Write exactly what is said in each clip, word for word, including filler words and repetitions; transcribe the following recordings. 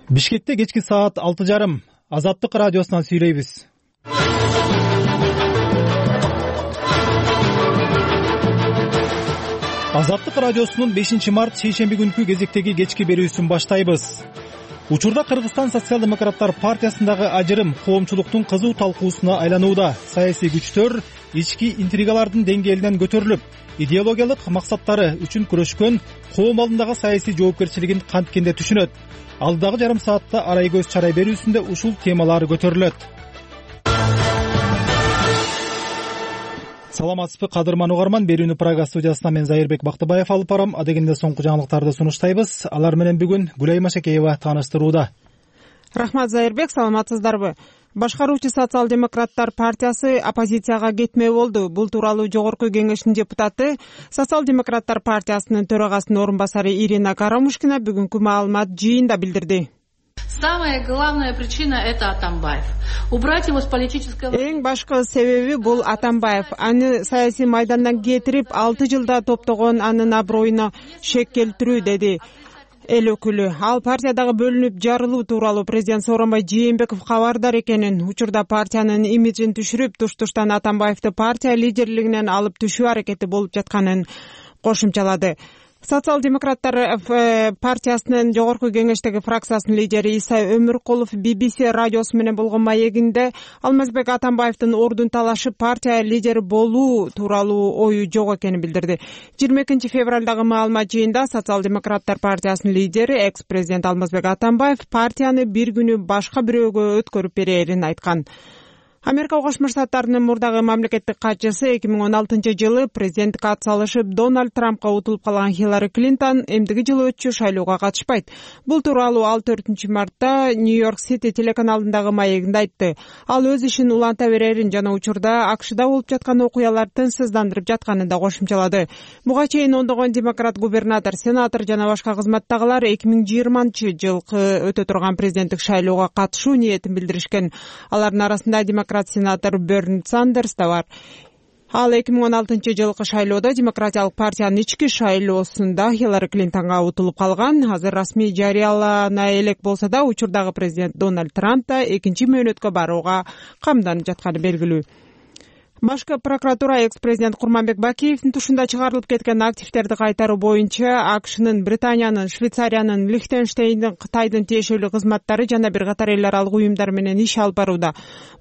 Бишкекте кечки саат алты жарым Азаттык радиосунан сүйлөйбүз. Азаттык радиосунун бешинчи март шейшемби күнкү кезектеги кечки берүүсүн баштайбыз. Учурда Кыргызстан социал-демократтар партиясындагы ажырым коомчулуктун кызуу талкуусуна айланууда. Саясий күчтөр ички интригалардын деңгээлинен көтөрүлүп, идеологиялык максаттары үчүн күрөшкөн коом алдындагы саясий жоопкерчилигин канткенде түшүнөт. Алдагы жарым саатта арай көз чарай берүүсүндө ушул темалар көтөрүлөт. Саламатсызбы кадырман угарман, берүүнү Прага студиясынан мен Зайырбек Бактыбаев алып барам. Адегенде соңку жаңылыктарды сунуштайбыз. Алар менен бүгүн Гүлай Машакеева тааныштырууда. Рахмат Зайырбек, саламатсыздарбы? Башкаруучу социал-демократтар партиясы оппозицияга кетмөө болду. Бул тууралуу жогорку кеңештин депутаты, социал-демократтар партиясынын төрагасынын орун басары Ирина Карамушкина бүгүнкү маалымат жыйында билдирди. Самая главная причина — это Атамбаев. Убрать его с политического... Эң башкы себеби бул Атамбаев. Аны саясий майдандан кетирип, алты жылда топтогон анын аброюна шек келтирүү, деди эл өкүлү. Ал партиядагы бөлүнүп жарылуу тууралуу президент Сооронбай Жээнбеков кабардар экенин, учурда партиянын имиджин түшүрүп, туш-туштан Атамбаевди партия лидерлигинен алып түшүү аракети болуп жатканын кошумчалады. Социал-демократтар партиясынын жогорку кеңештеги фракциясынын лидери Иса Өмүркулов би би си радиосу менен болгон маегинде Алмазбек Атамбаевдин ордун талашып партия лидери болуу тууралуу ою жок экенин билдирди. жыйырма экинчи февралдагы маалымат жыйында социал-демократтар партиясынын лидери экс-президент Алмазбек Атамбаев партияны бир күнү башка бирөөгө өткөрүп берерин айткан. Америка Кошмо Штаттарынын мурдагы мамлекеттик катчысы эки миң он алтынчы жылы президенттикке ат салышып Дональд Трампка утулуп калган Хиллари Клинтон эмдиги жылы өтчү шайлоого катышпайт. Бул тууралуу ал төртүнчү мартта Нью-Йорк Сити телеканалындагы маегинде айтты. Ал өз ишин уланта берерин жана учурда АКШда болуп жаткан окуялар тынчсыздандырып жатканын да кошумчалады. Буга чейин ондогон демократ губернатор, сенатор жана башка кызматтагылар эки миң жыйырманчы жылкы өтө турган президенттик шайлоого катышуу ниетин билдиришкен. Алардын арасында демократ сенатор Берни Сандерс да бар. Ал эки миң он алтынчы жылкы шайлоодо Демократиялык партиянын ички шайлоосунда Хиллари Клинтонго утулуп калган. Азыр расмий жарыялана элек болсо да, учурдагы президент Дональд Трамп да экинчи мөөнөткө барууга камданып жатканы белгилүү. Башкы прокуратура экс-президент Курманбек Бакиевдин тушунда чыгарылып кеткен активдерди кайтаруу боюнча АКШнын, Британиянын, Швейцариянын, Лихтенштейндин, Кытайдын тиешелүү кызматтары жана бир катар эл аралык уюмдар менен иш алып барууда.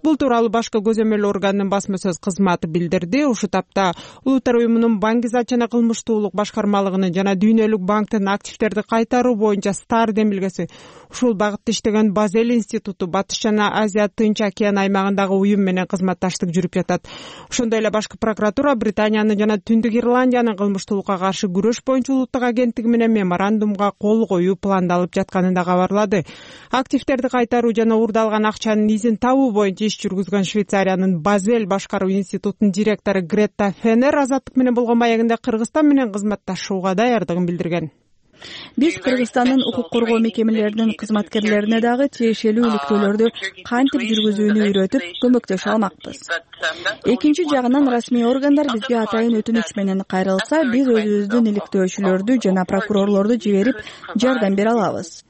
Бул тууралуу башкы көзөмөл органынын басма сөз кызматы билдирди. Ушул тапта Улуттар уюмунун Баңгизат жана кылмыштуулук башкармалыгынын жана Дүйнөлүк банктын активдерди кайтаруу боюнча стар демилгеси, ушул багытта иштеген Базель институту, Батыш жана Азия Тынч океан аймагындагы уюм менен кызматташтык жүрүп жатат. Ошондой эле башкы прокуратура Британиянын жана Түндүк Ирландиянын кылмыштуулукка каршы күрөш боюнча улуттук агенттиги менен меморандумга кол коюу пландалып жатканын да кабарлады. Активдерди кайтаруу жана уурдалган акчанын изин табуу боюнча иш жүргүзгөн Швейцариянын Базель башкаруу институтунун директору Гретта Фенер Азаттык менен болгон маегинде Кыргызстан менен кызматташууга даярдыгын билдирген. Биз Кыргызстандын укук коргоо мекемелеринин кызматкерлерине дагы тиешелүү иликтөөлөрдү кантип жүргүзүүнү үйрөтүп көмөктөшө алмакпыз. Экинчи жагынан расмий органдар бизге атайын өтүнүч менен кайрылса, биз өзүбүздүн иликтөөчүлөрдү жана прокурорлорду жиберип жардам бере алабыз.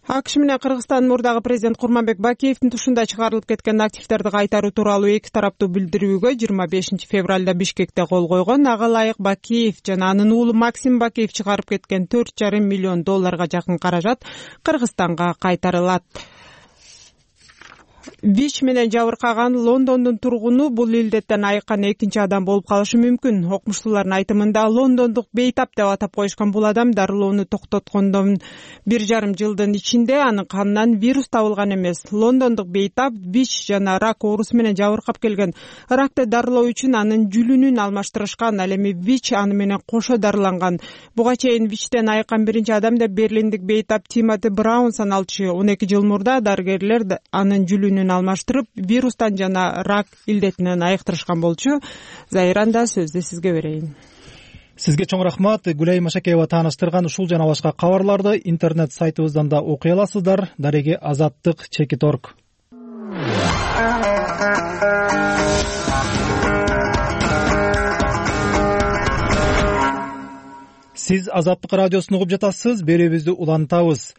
АКШ менен Кыргызстандын мурдагы президент Курманбек Бакиевдин тушунда чыгарылып кеткен активдерди кайтаруу тууралуу эки тараптуу билдирүүгө жыйырма бешинчи февралда Бишкекте кол койгон. Ага ылайык Бакиев жана анын уулу Максим Бакиев чыгарып кеткен төрт жарым миллион долларга жакын каражат Кыргызстанга кайтарылат. ВИЧ менен жабыркаган Лондондун тургуну бул илдеттен айыккан экинчи адам болуп калышы мүмкүн. Окумуштуулардын айтымында Лондондук бейтап деп атап коюшкан бул адам дарылоону токтоткондон бир жарым жылдын ичинде анын канынан вирус табылган эмес. Лондондук бейтап ВИЧ жана рак оорусу менен жабыркап келген. Ракты дарылоо үчүн анын жүлүнүн алмаштырышкан, ал эми ВИЧ аны менен кошо дарыланган. Буга чейин ВИЧтен айыккан биринчи адам деп берлиндик бейтап Тимоти Браун саналчу. он эки жыл мурда дарыгерлер анын жүлүнүн алмаштырып, вирустан жана рак илдетинен айыктырышкан болчу. Зайранда сөздү сизге берейин. Сизге чоң рахмат. Гүлай Машакеева тааныштырган ушул жана башка кабарларды интернет сайтыбыздан да окуй аласыздар. Дареги азаттык чекит точка орг. Сиз Азаттык радиосун угуп жатасыз. Берүүбүздү улантабыз.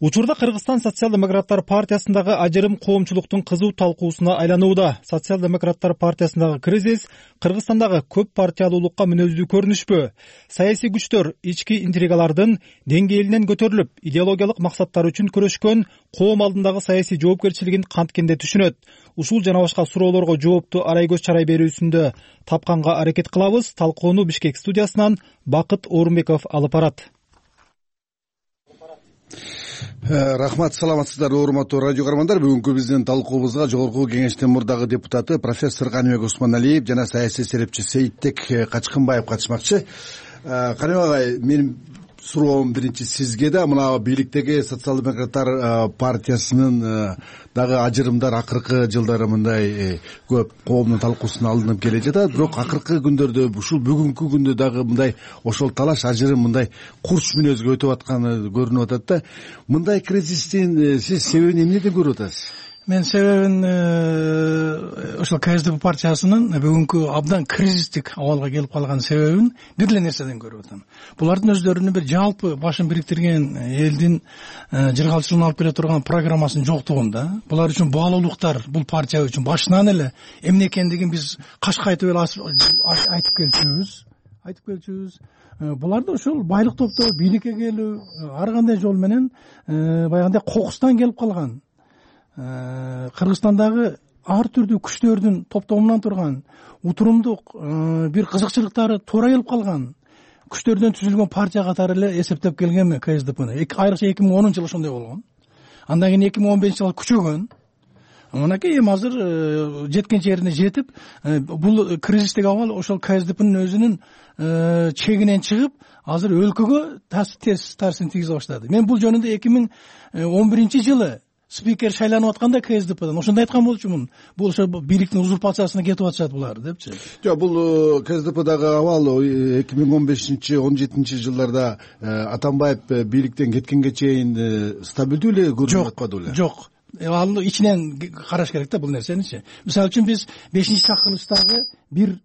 Учурда Кыргызстан социал-демократтар партиясындагы ажырым коомчулуктун кызуу талкуусуна айланууда. Социал-демократтар партиясындагы кризис Кыргызстандагы көп партиялуулукка мүнөздүү көрүнүшпү? Саясий күчтөр ички интригалардын деңгээлинен көтөрүлүп, идеологиялык максаттар үчүн күрөшкөн коом алдындагы саясий жоопкерчилигин канткенде түшүнөт. Ушул жана башка суроолорго жоопту арай көз чарай берүүсүндө тапканга аракет кылабыз. Талкууну Бишкек студиясынан Бакыт Орунбеков алып барат. Рахмат, саламатсыздар урматтуу радио көрөрмандар. Бүгүнкү биздин талкуубузга жогорку кеңештин мурдагы депутаты профессор Каныбек Усманалиев жана саясий серепчи Сейитбек Качкынбаев катышмакчы. Каныбек агай, менин суроом биринчи сизге да. Мына бийликтеги социал-демократтар партиясынын дагы ажырымдар акыркы жылдары мындай көп коомдун талкуусуна алынып келе жатат. Бирок акыркы күндөрдө, ушул бүгүнкү күндө дагы мындай ошол талаш ажырым мындай курч мүнөзгө өтүп атканы көрүнүп атат да. Мындай кризистин сиз себебин эмнеден көрүп атасыз? Мен себебин ошол КСДП партиясынын бүгүнкү абдан кризистик абалга келип калган себебин бир эле нерседен көрүп атам. Булардын өздөрүнүн бир жалпы башын бириктирген элдин жыргалчылыгын алып келе турган программасынын жоктугунда. Булар үчүн баалуулуктар бул партия үчүн башынан эле эмне экендигин биз кашкайтып эле айтып келчүбүз. Айтып келчүбүз. Буларды ошол байлык топтоо бийликке келүү ар кандай жол менен баягындай кокустан келип калган. Кыргызстандагы ар түрдүү күчтөрдүн топтомунан турган утурумдук бир кызыкчылыктары туура келип калган күчтөрдөн түзүлгөн партия катары эле эсептеп келгенми КСДПны. Айрыкча эки миң онунчу жылы ошондой болгон. Андан кийин эки миң он бешинчи жылы күчөгөн. Мынакей эми азыр жеткен жерине жетип, бул кризистик абал ошол КСДПнын өзүнүн чегинен чыгып, азыр өлкөгө терс таасирин тийгизе баштады. Мен бул жөнүндө эки миң он биринчи жылы спикер шайланып атканда КСДПдан ошондой айткан болчумун. Бул ошо бийликтин узурпациясына кетип атышат булар депчи. Жок, бул КСДПдагы абал эки миң он бешинчи он жетинчи жылдарда Атамбаев бийликтен кеткенге чейин стабилдүү эле көрүнүп атпады беле? Жок. Ал ичинен караш керек да бул нерсеничи. Мисалы үчүн биз бешинчи чакырылыштагы бир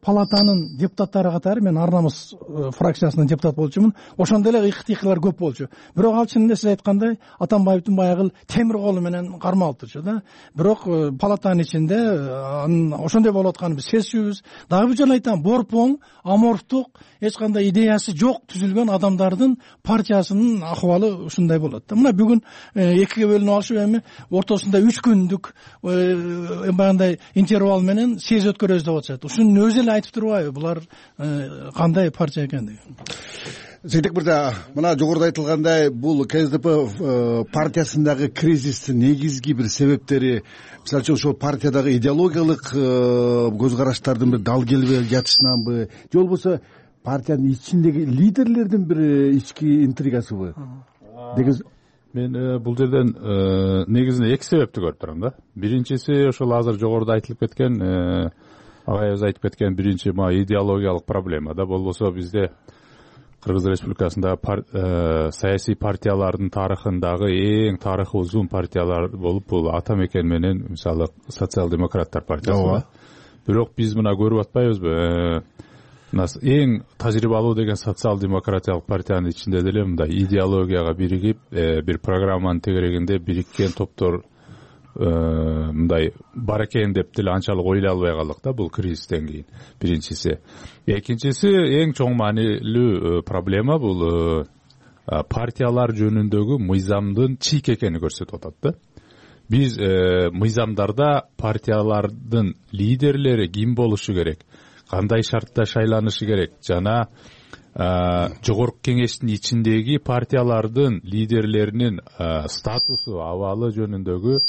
палатанын депутаттары катары, мен Ар намыс фракциясынын депутаты болчумун. Ошондой эле ыкты-ыкылар көп болчу. Бирок ал чынында сиз айткандай Атамбаевдин баягы темир колу менен кармалып турчу да. Бирок палатанын ичинде ошондой болуп атканын биз сезчүбүз. Дагы бир жолу айтам, борпоң, аморфтук, эч кандай идеясы жок түзүлгөн адамдардын партиясынын акыбалы ушундай болот да. Мына бүгүн экиге бөлүнүп алышып, эми ортосунда үч күндүк баягындай интервал менен өткөрөбүз деп атышат. Ушунун өзү эле айтып турбайбы булар кандай партия экендигин? Сейтек мырза, мына жогоруда айтылгандай, бул КСДП партиясындагы кризистин негизги бир себептери, мисалы үчүн ошол партиядагы идеологиялык көз караштардын бир дал келбей жатышынанбы, же болбосо партиянын ичиндеги лидерлердин бир ички интригасыбы деген? Мен бул жерден негизинде эки себепти көрүп турам да. Биринчиси ошол азыр жогоруда айтылып кеткен, агайыбыз айтып кеткен биринчи ма идеологиялык проблема да. Болбосо бизде Кыргыз Республикасындагы саясий партиялардын тарыхындагы эң тарыхы узун партиялар болуп, бул ата мекен менен мисалы социал-демократтар партиясы. Бирок биз мына көрүп атпайбызбы? Эң тажрыйбалуу деген социал-демократиялык партиянын ичинде деле мындай идеологияга биригип, бир программанын тегерегинде бириккен топтор мындай бар экен деп деле анчалык ойлой албай калдык да бул кризистен кийин. Биринчиси. Экинчиси, эң чоң маанилүү проблема бул партиялар жөнүндөгү мыйзамдын чийик экенин көрсөтүп атат да. Биз мыйзамдарда партиялардын лидерлери ким болушу керек, кандай шартта шайланышы керек жана жогорку кеңештин ичиндеги партиялардын лидерлеринин статусу, абалы жөнүндөгү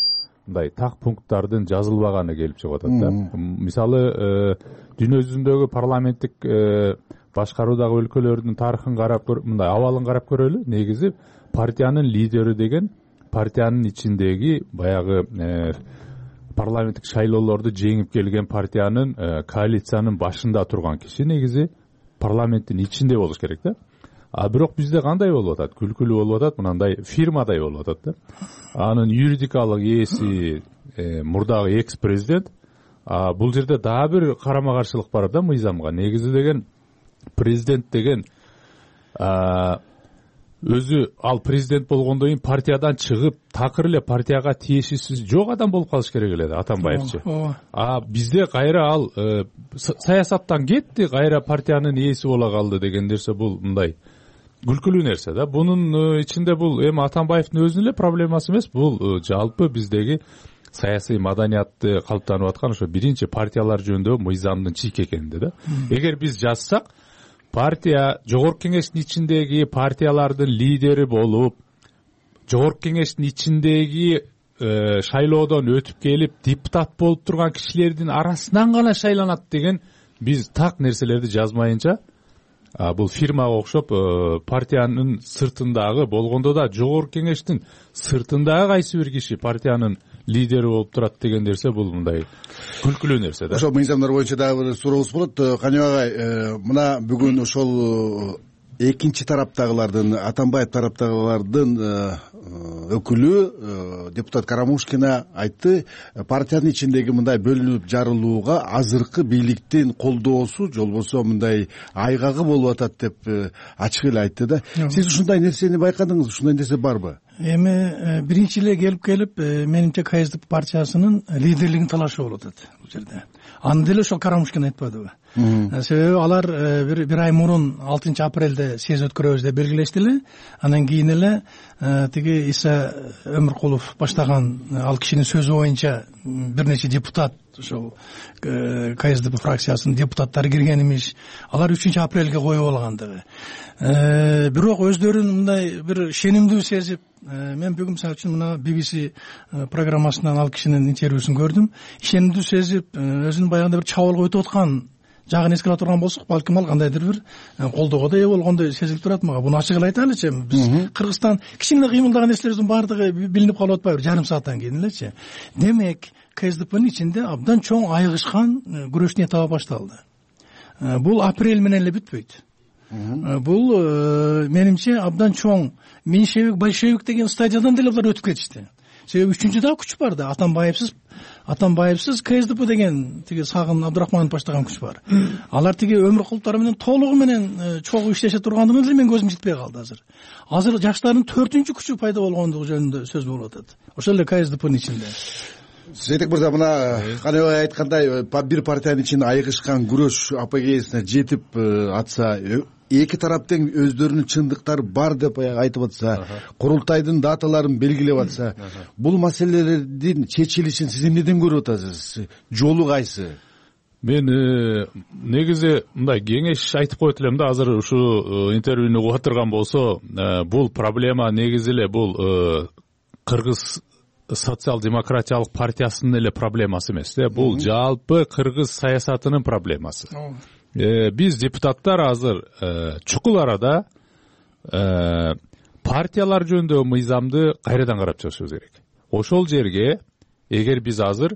мындай так пункттардын жазылбаганы келип чыгып атат да. Мисалы, дүйнө жүзүндөгү парламенттик башкаруудагы өлкөлөрдүн тарыхын карап, мындай абалын карап көрөлү. Негизи партиянын лидери деген партиянын ичиндеги баягы парламенттик шайлоолорду жеңип келген партиянын коалициянын башында турган киши негизи парламенттин ичинде болуш керек да. А бирок бизде кандай болуп атат? Күлкүлүү болуп атат, мындай фирмадай болуп атат да. Анын юридикалык ээси мурдагы экс-президент. А бул жерде дагы бир карама каршылык бар да мыйзамга. Негизи деген президент деген өзү ал президент болгондон кийин партиядан чыгып такыр эле партияга тиешеси жок адам болуп калыш керек эле Атамбаевчы. А бизде кайра ал саясаттан кетти, кайра партиянын ээси боло калды деген нерсе бул мындай күлкүлүү нерсе да. Бунун ичинде бул эми Атамбаевдин өзүнүн эле проблемасы эмес, бул жалпы биздеги саясий маданиятты калыптанып аткан ошо биринчи партиялар жөнүндөгү мыйзамдын чийки экенинде да. Эгер биз жазсак, партия жогорку кеңештин ичиндеги партиялардын лидери болуп, жогорку кеңештин ичиндеги шайлоодон өтүп келип депутат болуп турган кишилердин арасынан гана шайланат деген биз так нерселерди жазмайынча, бул фирмага окшоп партиянын сыртындагы болгондо да жогорку кеңештин сыртындагы кайсы бир киши партиянын лидери болуп турат деген нерсе бул мындай күлкүлүү нерсе да. Ошол мыйзамдар боюнча дагы бир сурообуз болот. Каныбек агай, мына бүгүн ошол экинчи тараптагылардын, Атамбаев тараптагылардын өкүлү депутат Карамушкина айтты, партиянын ичиндеги мындай бөлүнүп жарылууга азыркы бийликтин колдоосу, же болбосо мындай айгагы болуп атат деп ачык эле айтты да. Сиз ушундай нерсени байкадыңызбы? Ушундай нерсе барбы? Эми биринчи эле келип келип менимче КСДП партиясынын лидерлигин талашуу болуп атат бул жерде. Аны деле ошол Карамушкин айтпадыбы? Себеби алар бир бир ай мурун алтынчы апрелде съезд өткөрөбүз деп белгилешти эле. Анан кийин эле тиги Иса Өмүркулов баштаган ал кишинин сөзү боюнча бир нече депутат, ошол КСДП фракциясынын депутаттары кирген имиш. Алар үчүнчү апрелге коюп алгандыгы. Бирок өздөрүн мындай бир шенимдүү сезип, мен бүгүн мисалы үчүн мына би би си программасынан ал кишинин интервьюсун көрдүм. Шенимдүү сезип, өзүнүн баягында бир чабуулга өтүп аткан жагын эске ала турган болсок, балким ал кандайдыр бир колдоого да ээ болгондой сезилип турат мага. Буну ачык эле айталычы, биз Кыргызстан кичине кыймылдаган нерселерибиздин баардыгы билинип калып атпайбы жарым сааттан кийин элечи. Демек, КСДПнын ичинде абдан чоң айыгышкан күрөштүн этабы башталды. Бул апрель менен эле бүтпөйт. Бул менимче абдан чоң меньшевик, большевик деген стадиядан деле булар өтүп кетишти. Себеби үчүнчү дагы күч бар да, Атамбаевсиз Атамбаевсиз КСДП деген тиги Сагын Абдурахманов баштаган күч бар. Алар тиги Өмүркуловтор менен толугу менен чогуу иштеше тургандыгына деле мен көзүм жетпей калды азыр. Азыр жаштардын төртүнчү күчү пайда болгондугу жөнүндө сөз болуп атат. Ошол эле КСДПнын ичинде. Сейтек мырза, мына Каныбек айткандай, бир партиянын ичинде айыгышкан күрөш апогеясына жетип атса, эки тараптын өздөрүнүн чындыктары бар деп айтып атса, курултайдын даталарын белгилеп атса, бул маселелердин чечилишин сиз эмнеден көрүп атасыз? Жолу кайсы? Мен негизи мындай кеңеш айтып коет элем да, азыр ушу интервьюну угуп отурган болсо, бул проблема негизи эле бул Кыргыз социал-демократиялык партиясынын эле проблемасы эмес да, бул жалпы кыргыз саясатынын проблемасы. Биз депутаттар азыр чукул арада партиялар жөнүндөгү мыйзамды кайрадан карап чыгышыбыз керек. Ошол жерге эгер биз азыр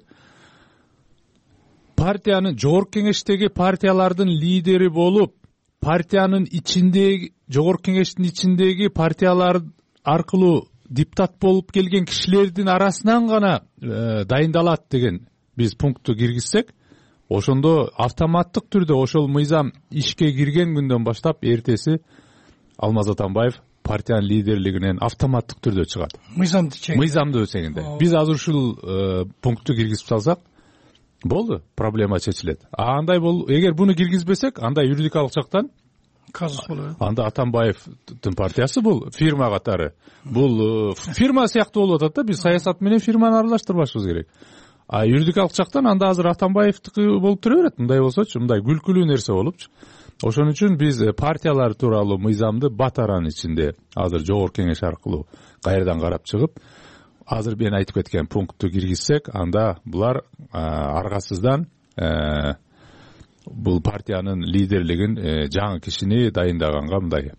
партиянын жогорку кеңештеги партиялардын лидери болуп, партиянын ичиндеги жогорку кеңештин ичиндеги партиялар аркылуу депутат болуп келген кишилердин арасынан гана дайындалат деген биз пунктту киргизсек, ошондо автоматтык түрдө ошол мыйзам ишке кирген күндөн баштап эртеси Алмаз Атамбаев партиянын лидерлигинен автоматтык түрдө чыгат. Мыйзамды чек. Мыйзамды өсеңинде. Биз азыр ушул пунктту киргизип салсак, болду, проблема чечилет. А андай бол, эгер буну киргизбесек, анда юридикалык жактан казус болот. Анда Атамбаевдин партиясы бул фирма катары. Бул фирма сыяктуу болуп атат да, биз саясат менен фирманы аралаштырбашыбыз керек. А юридикалык жактан анда азыр Атамбаевдики болуп тура берет. Мындай болсочу, мындай күлкүлүү нерсе болупчу. Ошон үчүн биз партиялар тууралуу мыйзамды батаран ичинде азыр жогорку кеңеш аркылуу кайрадан карап чыгып, азыр мен айтып кеткен пунктту киргизсек, анда булар аргасыздан бул партиянын лидерлигин жаңы кишини дайындаганга мындай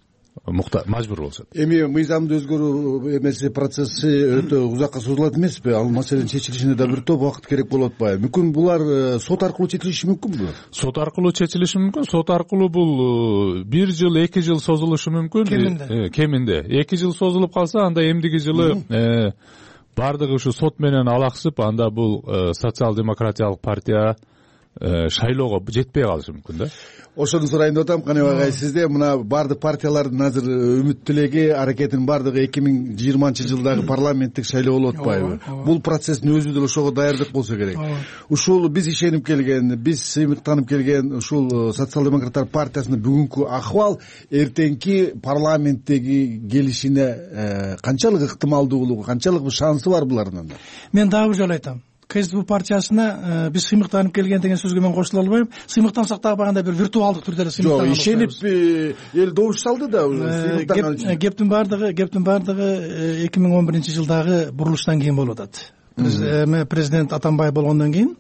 мажбур болушат. Эми мыйзамды өзгөрүү эмеси процесси өтө узакка созулат эмеспи? Ал маселенин чечилишине да бир топ убакыт керек болуп атпайбы? Мүмкүн булар сот аркылуу чечилиши мүмкүнбү? Сот аркылуу чечилиши мүмкүн. Сот аркылуу бул бир жыл, эки жыл созулушу мүмкүн. Кеминде. Кеминде. эки жыл созулуп калса, анда эмдиги жылы бардыгы ушу сот менен алаксып, анда бул социал-демократиялык партия шайлоого жетпей калышы мүмкүн да. Ошону сурайын деп атам. Каныбек агай, сизде мына баардык партиялардын азыр үмүт тилеги, аракетинин баардыгы эки миң жыйырманчы жылдагы парламенттик шайлоо болуп атпайбы? Бул процесстин өзү деле ошого даярдык болсо керек. Ушул биз ишенип келген, биз сыймыктанып келген ушул социал-демократтар партиясынын бүгүнкү акыбал эртеңки парламенттеги келишине канчалык ыктымалдуулугу, канчалык шансы бар булардын? Мен дагы бир жолу айтам. КСДП партиясына биз сыймыктанып келген деген сөзгө мен кошула албайм. Сыймыктансак дагы багандай бир виртуалдык түрдө эле сыймыктанган. Жок, ишенип эл добуш салды да сыймыктанган үчүн. Кептин бардыгы, кептин бардыгы эки миң он биринчи жылдагы бурулуштан кийин болуп атат. Президент Атамбаев болгондон кийин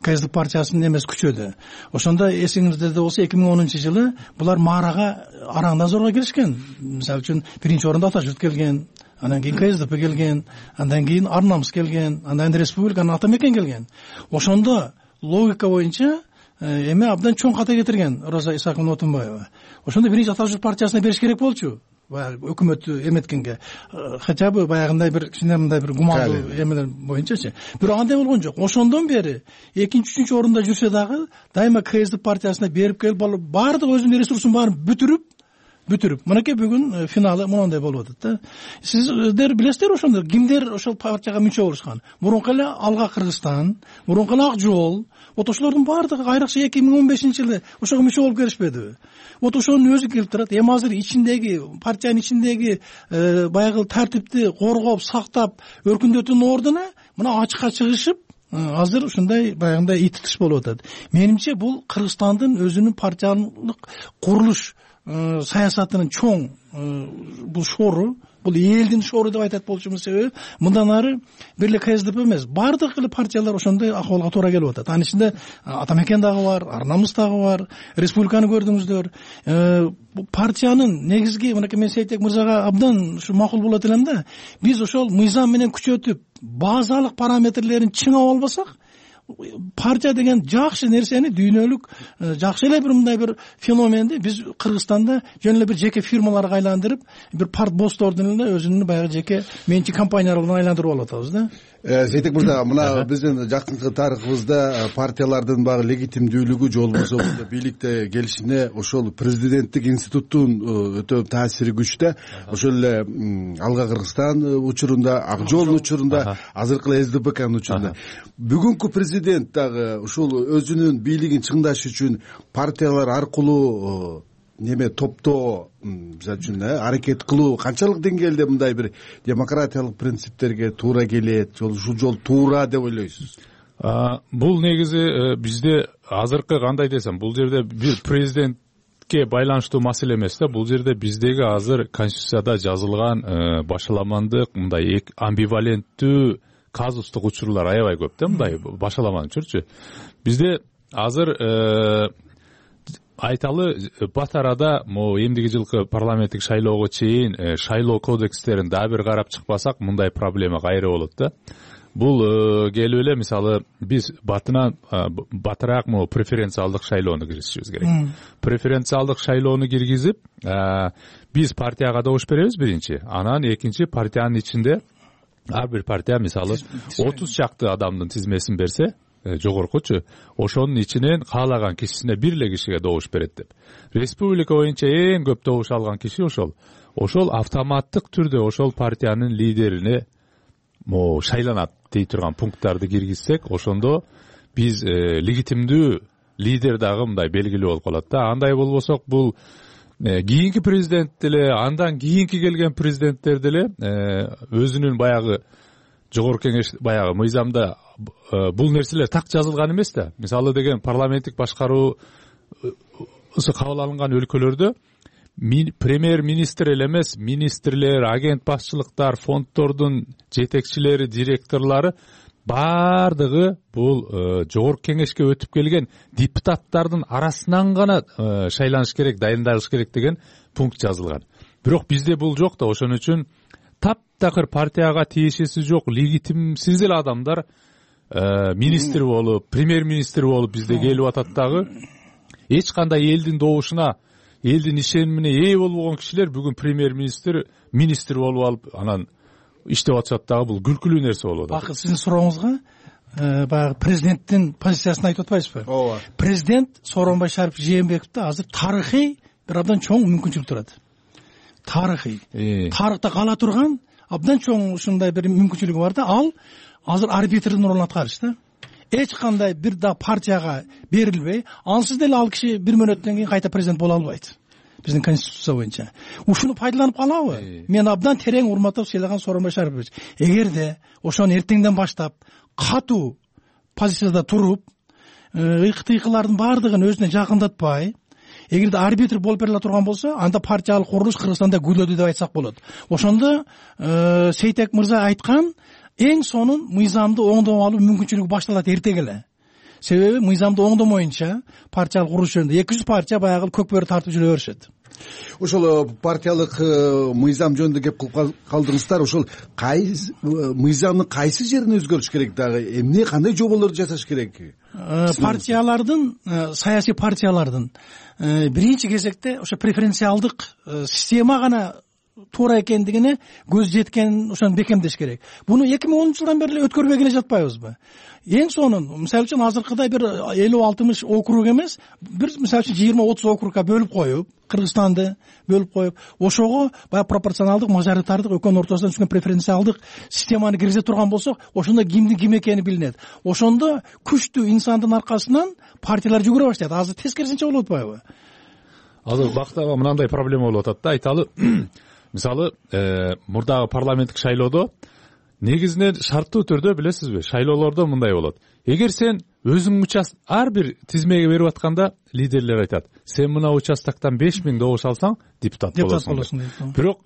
КСДП партиясынын эмеси күчөдү. Ошондо эсиңизде болсо эки миң онунчу жылы булар маарага араңдан зорго киришкен. Мисалы үчүн биринчи орунда Атажурт келген, андан кийин КСДП келген, андан кийин Арнамыс келген, андан кийин республиканын ата мекен келген. Ошондо логика боюнча эме абдан чоң ката кетирген Роза Исаковна Отунбаева. Ошондо биринчи Атажурт партиясына бериш керек болчу. Өкмөттү эметкенге, хотя бы баягындай бир кичине мындай бир гумандуу эмелер боюнчачы. Бирок андай болгон жок. Ошондон бери экинчи, үчүнчү орунда жүрсө дагы дайыма КСДП партиясына берип келип баардык өзүнүн ресурсун баарын бүтүрүп бүтүрүп мынакей бүгүн финалы мондай болуп атат да. Сиздер билесиздер ошондо кимдер ошол партияга мүчө болушкан? Мурунку эле Алга Кыргызстан, мурунку эле Ак Жол, вот ошолордун баардыгы айрыкча эки миң он бешинчи жылы ошого мүчө болуп келишпедиби? Вот ошонун өзү келип турат. Эми азыр ичиндеги партиянын ичиндеги баягы тартипти коргоп, сактап, өркүндөтүүнүн ордуна мына ачыкка чыгышып азыр ушундай баягындай итиш болуп атат. Менимче бул Кыргызстандын өзүнүн партиялык курулуш саясатынын чоң бул шору, бул элдин шору деп айтат болчумун себеби мындан ары бир эле КСДП эмес, баардык эле партиялар ошондой акыбалга туура келип атат. Анын ичинде Ата мекен дагы бар, Арнамыс дагы бар, республиканы көрдүңүздөр. Партиянын негизги мынакей мен Сейтек мырзага абдан ушу макул болот элем да. Биз ошол мыйзам менен күчөтүп, базалык параметрлерин чыңап албасак, партия деген жакшы нерсени, дүйнөлүк жакшы эле бир мындай бир феноменди биз Кыргызстанда жөн эле бир жеке фирмаларга айландырып, бир парт босстордун эле өзүнүн баягы жеке менчик компанияларына айландырып алып атабыз да. Сейтек мырза, мына биздин жакынкы тарыхыбызда партиялардын багы легитимдүүлүгү же болбосо бийликте келишине ошол президенттик институттун өтө таасири күчтө. Ошол эле Алга Кыргызстан учурунда, Ак Жол учурунда, азыркы эле СДПКнын учурунда. Бүгүнкү президент дагы ушул өзүнүн бийлигин чыңдаш үчүн партиялар аркылуу неме топтоо, мисалы үчүн аракет кылуу канчалык деңгээлде мындай бир демократиялык принциптерге туура келет, ушул жол туура деп ойлойсуз? Бул негизи бизде азыркы кандай десем, бул жерде бир президентке байланыштуу маселе эмес да. Бул жерде биздеги азыр конституцияда жазылган башаламандык, мындай амбиваленттүү казустук учурлар аябай көп да, мындай башаламан учурчу. Бизде азыр айталы бат арада могу эмдиги жылкы парламенттик шайлоого чейин шайлоо кодекстерин дагы бир карап чыкпасак, мындай проблема кайра болот да. Бул келип эле мисалы биз батынан батыраак могу преференциалдык шайлоону киргизишибиз керек. Преференциалдык шайлоону киргизип, биз партияга добуш беребиз биринчи, анан экинчи партиянын ичинде ар бир партия мисалы отуз чакты адамдын тизмесин берсе, жогоркучу, ошонун ичинен каалаган кишисине бир эле кишиге добуш берет деп. Республика боюнча эң көп добуш алган киши ошол. Ошол автоматтык түрдө ошол партиянын лидерине могу шайланат дей турган пункттарды киргизсек, ошондо биз легитимдүү лидер дагы мындай белгилүү болуп калат да. Андай болбосок, бул кийинки президент деле, андан кийинки келген президенттер деле өзүнүн баягы жогорку кеңеш баягы мыйзамда бул нерселер так жазылган эмес да. Мисалы деген парламенттик башкаруу кабыл алынган өлкөлөрдө премьер-министр эле эмес, министрлер, агент башчылыктар, фонддордун жетекчилери, директорлору баардыгы бул жогорку кеңешке өтүп келген депутаттардын арасынан гана шайланыш керек, дайындалыш керек деген пункт жазылган. Бирок бизде бул жок да. Ошон үчүн таптакыр партияга тиешеси жок, легитимсиз эле адамдар министр болуп, премьер-министр болуп бизде келип атат дагы. Эч кандай элдин добушуна, элдин ишенимине ээ болбогон кишилер бүгүн премьер-министр, министр болуп алып, анан иштеп атышат дагы. Бул күлкүлүү нерсе болуп атат. Бакыт, сиздин сурооңузга баягы президенттин позициясын айтып атпайсызбы? ооба. Президент Сооронбай Шарипович Жээнбековдо азыр тарыхый бир абдан чоң мүмкүнчүлүк турат. Тарыхый. Тарыхта кала турган абдан чоң ушундай бир мүмкүнчүлүгү бар да, ал азыр арбитрдин ордун аткарыш да. Эч кандай бир да партияга берилбей, ансыз деле ал киши бир мөөнөттөн кийин кайта президент боло албайт. Биздин конституция боюнча. Ушуну пайдаланып калабы? Мен абдан терең урматтап сыйлаган Сооронбай Шарипович, эгерде ошону эртеңден баштап катуу позицияда туруп, ыкы-тыйкылардын баардыгын өзүнө жакындатпай, эгерде арбитр болуп бере турган болсо, анда партиялык курулуш Кыргызстанда гүлөдү деп айтсак болот. Ошондо Сейтек мырза айткан эң сонун мыйзамды оңдоп алуу мүмкүнчүлүгү башталат эртең эле. Себеби мыйзамды оңдомоюнча партиялык курулуш жөнүндө эки жүз партия баягы көк бөрү тартып жүрө беришет. Ошол партиялык мыйзам жөнүндө кеп кылып калдыңыздар. Ошол кайсы мыйзамдын кайсы жерин өзгөртүш керек дагы? Эмне, кандай жоболорду жасаш керек? Партиялардын, саясий партиялардын биринчи кезекте ошо преференциалдык система гана туура экендигине көз жеткен ошону бекемдеш керек. Буну эки миң онунчу жылдан бери өткөрбөй келе жатпайбызбы? Эң сонун, мисалы үчүн азыркыдай бир элүү алтымыш округ эмес, бир мисалы үчүн жыйырма отуз округга бөлүп коюп, Кыргызстанды бөлүп коюп, ошого баягы пропорционалдык, мажоритардык, экөөнүн ортосунан түшкөн преференциалдык системаны киргизе турган болсок, ошондо кимдин ким экени билинет. Ошондо күчтүү инсандын аркасынан партиялар жүгүрө баштайт. Азыр тескерисинче болуп атпайбы? Азыр бактагы мынандай проблема болуп атат да, айталы. Мисалы, мурдагы парламенттик шайлоодо негизинен шарттуу түрдө билесизби, шайлоолордо мындай болот. Эгер сен өзүң участ ар бир тизмеге берип атканда лидерлер айтат: сен мына участоктон беш миң добуш алсаң, депутат болосуң. Бирок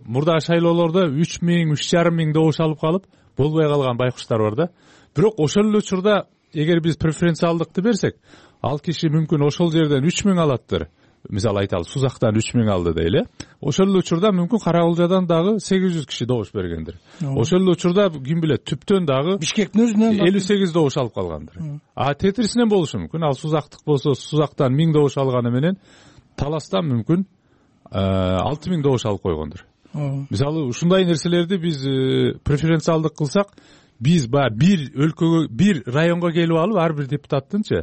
мурдагы шайлоолордо үч миң, үч жарым миң добуш алып калып, болбой калган байкуштар бар да. Бирок ошол эле учурда эгер биз преференциалдыкты берсек, ал киши мүмкүн ошол жерден үч миң алаттыр. Мисалы айталы, Сузактан үч миң алды дейли. Ошол эле учурда мүмкүн Карагулжадан дагы сегиз жүз киши добуш бергендир. Ошол эле учурда ким билет, түптөн дагы Бишкектин өзүнөн элүү сегиз добуш алып калгандыр. А тетирисинен болушу мүмкүн. Ал Сузактык болсо, Сузактан миң добуш алганы менен Таластан мүмкүн алты миң добуш алып койгондур. Мисалы, ушундай нерселерди биз преференциалдык кылсак, биз баягы бир өлкөгө, бир районго келип алып, ар бир депутаттынчы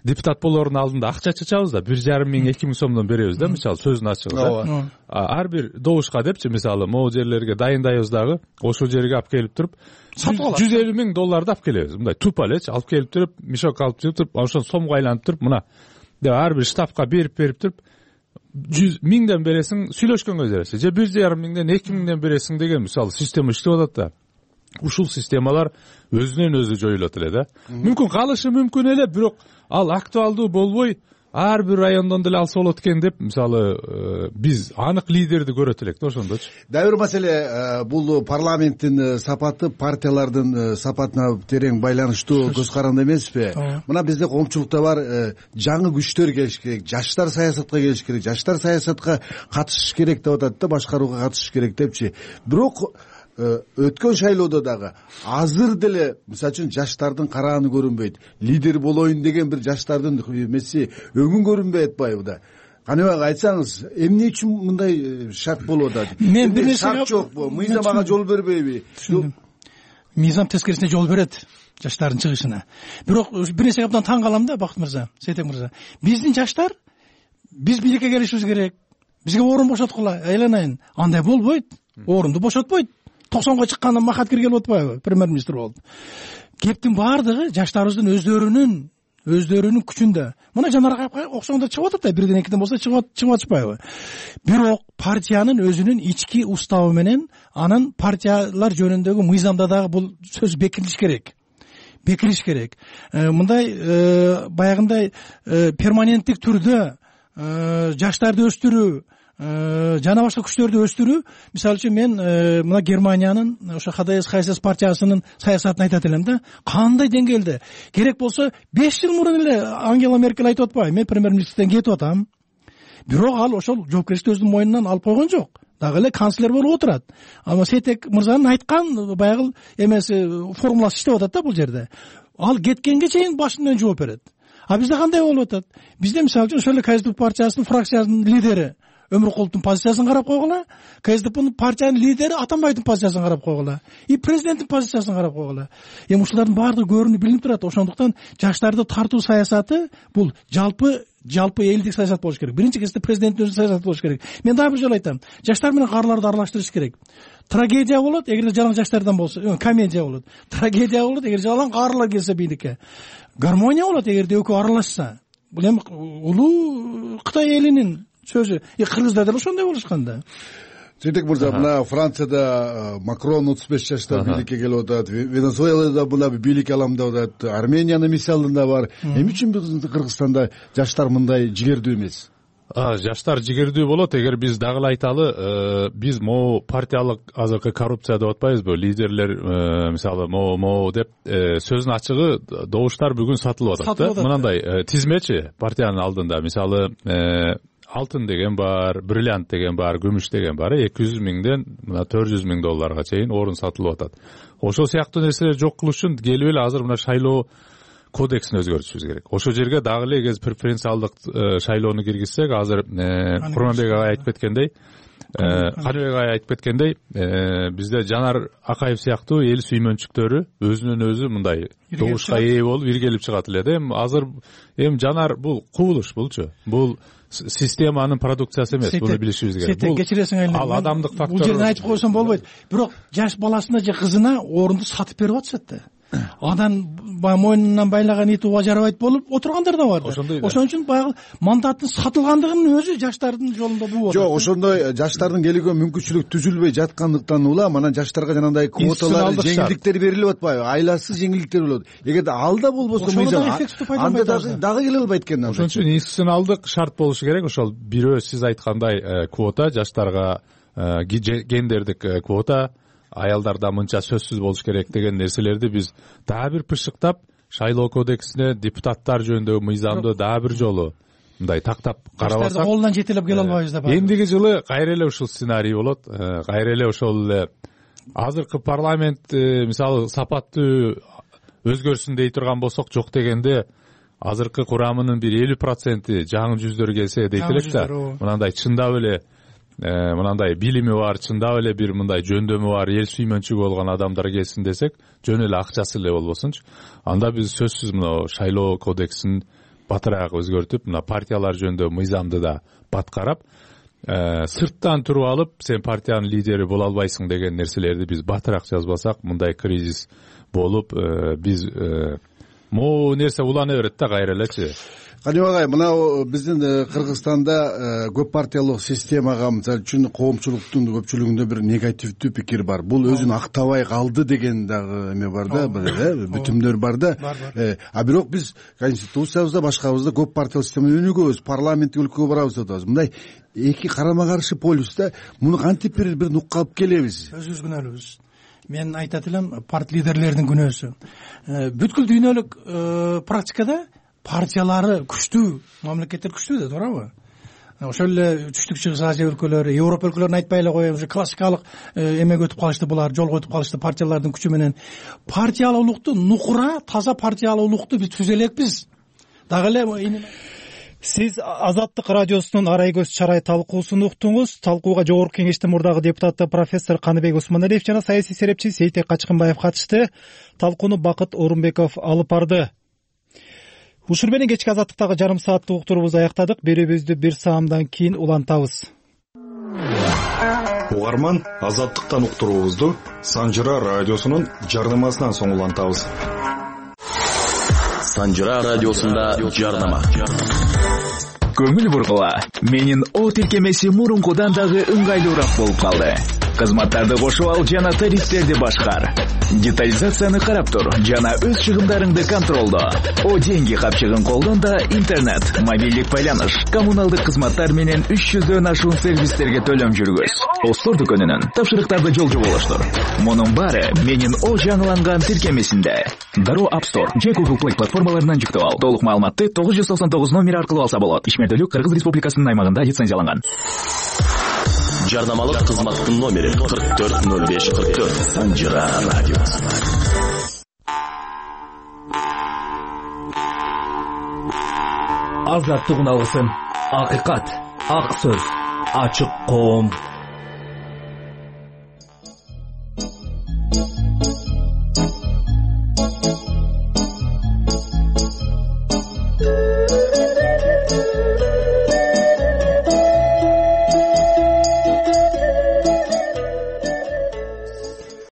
депутат болоордун алдында акча чачабыз да, бир жарым миң, эки миң сомдон беребиз да, мисалы сөзүн ачыгы да. Ар бир добушка депчи, мисалы, могу жерлерге дайындайбыз дагы, ошол жерге алып келип туруп, жүз элүү миң долларды алып келебиз. Мындай тупа элечи, алып келип туруп, мешок алып келип туруп, ошол сомго айлантып туруп, мына деп ар бир штабка берип берип туруп, жүз миңден бересиң, сүйлөшкөнгө жараша, же бир жарым миңден, эки миңден бересиң деген мисалы система иштеп атат да. Ушул системалар өзүнөн өзү жоюлат эле да. Мүмкүн калышы мүмкүн эле, бирок ал актуалдуу болбой, ар бир райондон деле алса болот экен деп, мисалы, биз анык лидерди көрөт элек да ошондочу. Дагы бир маселе, бул парламенттин сапаты партиялардын сапатына терең байланыштуу көз каранды эмеспи? Мына бизде коомчулукта бар, жаңы күчтөр келиш керек, жаштар саясатка келиш керек, жаштар саясатка катышыш керек деп атат да, башкарууга катышыш керек депчи. Бирок өткөн шайлоодо дагы азыр деле мисалы үчүн жаштардын карааны көрүнбөйт. Лидер болоюн деген бир жаштардын эмеси өңүн көрүнбөй атпайбы да. Каныбек, айтсаңыз, эмне үчүн мындай шарт болуп атат? Мен бир нерсе шарт жокпу? Мыйзам ага жол бербейби? Мыйзам тескерисине жол берет жаштардын чыгышына. Бирок бир нерсеге абдан таң калам да, Бакыт мырза, Сейтек мырза. Биздин жаштар, биз бийликке келишибиз керек, бизге орун бошоткула, айланайын. Андай болбойт. Орунду бошотпойт. токсонго чыкканда Махат келип атпайбы, премьер-министр болуп. Кептин баардыгы жаштарыбыздын өздөрүнүн өздөрүнүн күчүндө. Мына жанарга окшогондор чыгып атат да, бирден экиден болсо чыгып чыгып атышпайбы. Бирок партиянын өзүнүн ички уставы менен анын партиялар жөнүндөгү мыйзамда дагы бул сөз бекитилиш керек. Бекитилиш керек. Мындай баягындай перманенттик түрдө жаштарды өстүрүү, жана башка күчтөрдү өстүрүү, мисалы үчүн мен мына Германиянын ошо ха дэ эс ха эс эс партиясынын саясатын айтат элем да. Кандай деңгээлде? Керек болсо беш жыл мурун эле Ангела Меркель айтып атпайбы, мен премьер-министрден кетип атам. Бирок ал ошол жоопкерчиликти өзүнүн мойнунан алып койгон жок. Дагы эле канцлер болуп отурат. Ама Сейтек мырзанын айткан баягы эмеси формуласы иштеп атат да бул жерде. Ал кеткенге чейин башынан жооп берет. А бизде кандай болуп атат? Бизде мисалы үчүн ошол эле ка эс ди пи партиясынын фракциянын лидери Өмүркуловдун позициясын карап койгула, КСДПнын партиянын лидери Атамбайдын позициясын карап койгула, и президенттин позициясын карап койгула. Эми ушулардын баардыгы көрүнүп билинип турат. Ошондуктан жаштарды тартуу саясаты бул жалпы жалпы элдик саясат болуш керек. Биринчи кезекте президенттин өзү саясаты болуш керек. Мен дагы бир жолу айтам. Жаштар менен каарыларды аралаштырыш керек. Трагедия болот эгерде жалаң жаштардан болсо, комедия болот. Трагедия болот эгер жалаң каарылар келсе бийликке. Гармония болот эгерде экөө аралашса. Бул эми улуу Кытай элинин сөзү. И кыргыздар деле ошондой болушкан да. Сейтек мырза, мына Францияда Макрон отуз беш жашта бийликке келип атат, Венесуэлада мына бийлик алам деп атат, Армениянын мисалында бар. Эмне үчүн биздин Кыргызстанда жаштар мындай жигердүү эмес? Жаштар жигердүү болот. Эгер биз дагы эле айталы, биз могу партиялык азыркы коррупция деп атпайбызбы? Лидерлер мисалы могу могу деп сөздүн ачыгы добуштар бүгүн сатылып атат да. Мынандай тизмечи партиянын алдында мисалы алтын деген бар, бриллиант деген бар, күмүш деген бар. эки жүз миңден мына төрт жүз миң долларга чейин орун сатылып атат. Ошол сыяктуу нерселерди жок кылыш үчүн келип эле азыр мына шайлоо кодексин өзгөртүшүбүз керек. Ошол жерге дагы эле эгер преференциалдык шайлоону киргизсек, азыр Курманбек агай айтып кеткендей, Каныбек агай айтып кеткендей, бизде Жанар Акаев сыяктуу эл сүймөнчүктөрү өзүнөн өзү мындай добушка ээ болуп иргелип чыгат эле да. Эми азыр эми Жанар бул кубулуш булчу. Бул системанын продукциясы эмес, буну билишибиз керек. Бул кечиресиң айыл. Ал адамдык фактор. Бул жерден айтып койсом болбойт. Бирок жаш баласына же кызына орунду сатып берип атышат да. Адан мойнунан байлаган ит уга жарабайт болуп отургандар да бар. Ошон үчүн баягы мандаттын сатылгандыгынын өзү жаштардын жолунда буу болот. Жок, ошондой жаштардын келүүгө мүмкүнчүлүк түзүлбөй жаткандыктан улам анан жаштарга жанагындай квоталар, жеңилдиктер берилип атпайбы? Айласыз жеңилдиктер болот. Эгерде алда болбосо мыйзам, анда дагы дагы келе албайт экен. Ошон үчүн институционалдык шарт болушу керек. Ошол бирөө сиз айткандай квота, жаштарга гендердик квота, аялдарда мынча сөзсүз болуш керек деген нерселерди биз дагы бир пышыктап, шайлоо кодексине депутаттар жөнүндөгү мыйзамды дагы бир жолу мындай тактап карабасак, колунан жетелеп келе албайбыз да. Эндиги жылы кайра эле ушул сценарий болот. Кайра эле ошол эле азыркы парламент мисалы сапаттуу өзгөрсүн дей турган болсок, жок дегенде азыркы курамынын бир элүү проценти жаңы жүздөр келсе дейт элек да. Мынандай чындап эле мынандай билими бар, чындап эле бир мындай жөндөмү бар, эл сүймөнчүгү болгон адамдар келсин десек, жөн эле акчасы эле болбосунчу. Анда биз сөзсүз мына шайлоо кодексин батыраак өзгөртүп, мына партиялар жөнүндө мыйзамды да баткарап, сырттан туруп алып, сен партиянын лидери боло албайсың деген нерселерди биз батыраак жазбасак, мындай кризис болуп, биз могу нерсе улана берет да кайра элечи. Каныбек агай, мына биздин Кыргызстанда көп партиялык системага мисалы үчүн коомчулуктун көпчүлүгүндө бир негативдүү пикир бар. Бул өзүн актабай калды деген дагы эме бар да, бүтүмдөр бар да. А бирок биз конституциябызда, башкабызда көп партиялык системаны өнүгөбүз, парламенттик өлкөгө барабыз деп атабыз. Мындай эки карама каршы полюста муну кантип бир бир нукка алып келебиз? Өзүбүз күнөөлүүбүз. Мен айтат элем, партия лидерлеринин күнөөсү. Бүткүл дүйнөлүк практикада партиялары күчтүү, мамлекеттер күчтүү да, туурабы? Ошол эле Түштүк Чыгыш Азия өлкөлөрү, Европа өлкөлөрүн айтпай эле коеюн, ушу классикалык эмеге өтүп калышты булар, жолго өтүп калышты партиялардын күчү менен. Партиялуулукту, нукура, таза партиялуулукту биз түзө элекпиз. Дагы эле Сиз Азаттык радиосунун арай көз чарай талкуусун уктуңуз. Талкууга Жогорку Кеңештин мурдагы депутаты профессор Каныбек Осмоналиев жана саясий серепчи Сейтек Качкынбаев катышты. Талкууну Бакыт Орунбеков алып барды. Ушул менен кечки Азаттыктагы жарым сааттык уктуруубузду аяктадык. Берүүбүздү бир саамдан кийин улантабыз. Угарман, Азаттыктан уктуруубузду Санжыра радиосунун жардамасынан соң улантабыз. Санжыра радиосунда жардама. Көңүл бургула. Менин О тиркемеси мурункудан дагы ыңгайлуураак болуп калды. Кызматтарды кошуп ал жана тарифтерди башкар. Детализацияны карап тур жана өз чыгымдарыңды контролдо. О деньги капчыгын колдон да интернет, мобилдик байланыш, коммуналдык кызматтар менен үч жүздөн ашуун сервистерге төлөм жүргүз. Остор дүкөнүнүн тапшырыктарды жолжо болуштур. Мунун баары менин О жаңыланган тиркемесинде. Дароо App Store же Google Play платформаларынан жүктөп ал. Толук маалыматты тогуз жүз токсон тогуз номери аркылуу алса болот. Ишмердүүлүк Кыргыз Республикасынын аймагында лицензияланган. Жардамалык кызматтын номери кырк төрт ноль беш кырк төрт. Санжыра радиосу. Азаттык уналысын. Акыйкат, ак сөз, ачык коом.